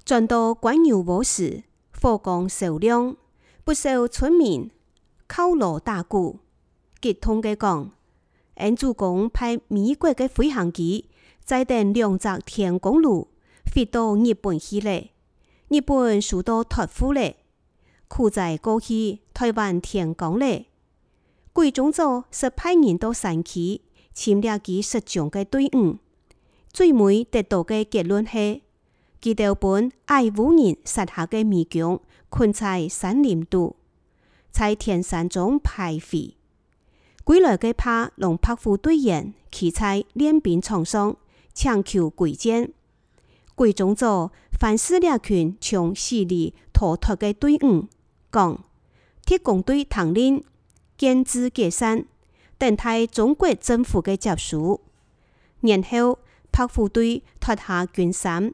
轉到官牛無時，火光燒亮，不少村民敲鑼打鼓，激動嘅講：俺主公派美國嘅飛行機載定2隻天公爐飛到日本去咧，日本受到託付咧，苦在過去台灣天光咧。貴宗祖是派人到山區簽了佢實將嘅隊伍，最尾得到嘅結論係，佢哋本愛烏人殺下嘅美軍困在山林度，在天山中徘徊。歸來嘅怕龍拍虎隊員企在練兵場上搶求歸建。貴宗祖反思了群從死裏逃脫嘅隊伍，講鐵公隊統領建制解散，等待中國政府嘅接收。然後拍虎隊脫下軍衫，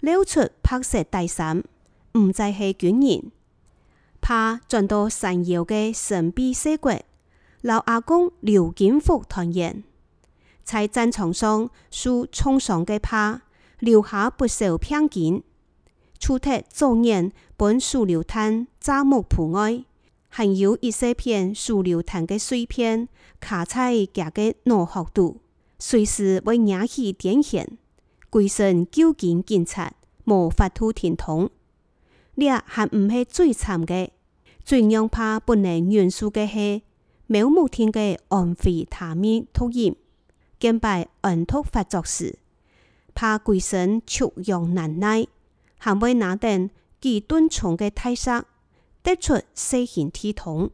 溜出白色大衫，唔再係軍人。怕轉到山腰嘅神秘社國，老阿公劉金福團圓，在戰場上受重傷嘅怕留下不少片件，除脫早年本手榴彈炸木鋪外，還有一些片手榴彈嘅碎片卡在佢嘅腦殼度，隨時會引起電線，規身究竟警察無法度聽通。呢還唔係最慘嘅，最讓怕不能原諒嘅係渺無天嘅安非他命突然，見敗安突發作時，怕規身축養難耐，還會拿定幾噸重嘅大石，得出細形體統。